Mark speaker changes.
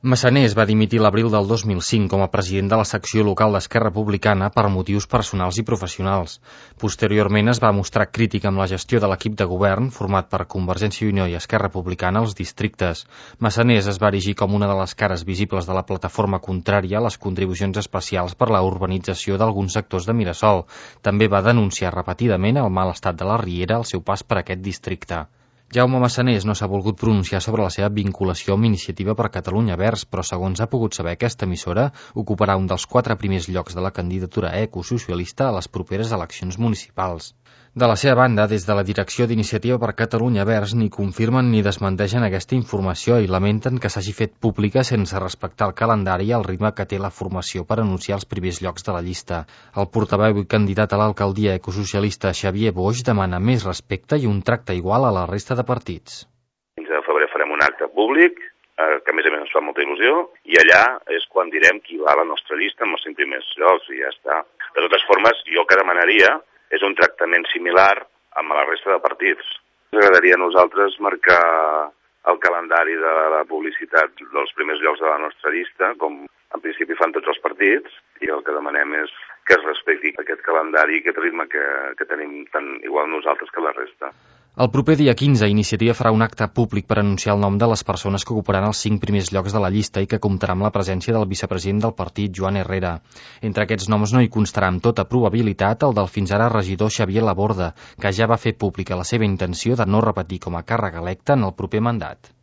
Speaker 1: Massanés va dimitir l'abril del 2005 com a president de la secció local d'Esquerra Republicana per motius personals i professionals. Posteriorment es va mostrar crític amb la gestió de l'equip de govern, format per Convergència i Unió i Esquerra Republicana als districtes. Massanés es va erigir com una de les cares visibles de la plataforma contrària a les contribucions especials per la urbanització d'alguns sectors de Mirasol. També va denunciar repetidament el mal estat de la Riera al seu pas per aquest districte. Jaume Massanés no s'ha volgut pronunciar sobre la seva vinculació amb Iniciativa per Catalunya Verds, però segons ha pogut saber aquesta emissora, ocuparà un dels 4 primers llocs de la candidatura ecosocialista a les properes eleccions municipals. De la seva banda, des de la direcció d'Iniciativa per Catalunya Verds ni confirmen ni desmenteixen aquesta informació i lamenten que s'hagi fet pública sense respectar el calendari i el ritme que té la formació per anunciar els primers llocs de la llista. El portaveu i candidat a l'alcaldia ecosocialista Xavier Boix demana més respecte i un tracte igual a la resta de partits.
Speaker 2: El 15 de febrer farem un acte públic, que a més ens fa molta il·lusió, i allà és quan direm qui va a la nostra llista amb els 5 primers llocs i ja està. De totes formes, jo el que demanaria és un tractament similar amb la resta de partits. Ens agradaria a nosaltres marcar el calendari de la publicitat dels primers llocs de la nostra llista, com en principi fan tots els partits, i el que demanem és que es respecti aquest calendari i aquest ritme que tenim tant igual nosaltres que la resta.
Speaker 1: El proper dia 15, Iniciativa farà un acte públic per anunciar el nom de les persones que ocuparan els 5 primers llocs de la llista i que comptarà amb la presència del vicepresident del partit, Joan Herrera. Entre aquests noms no hi constarà amb tota probabilitat el del fins ara regidor Xavier Laborda, que ja va fer pública la seva intenció de no repetir com a càrrec electe en el proper mandat.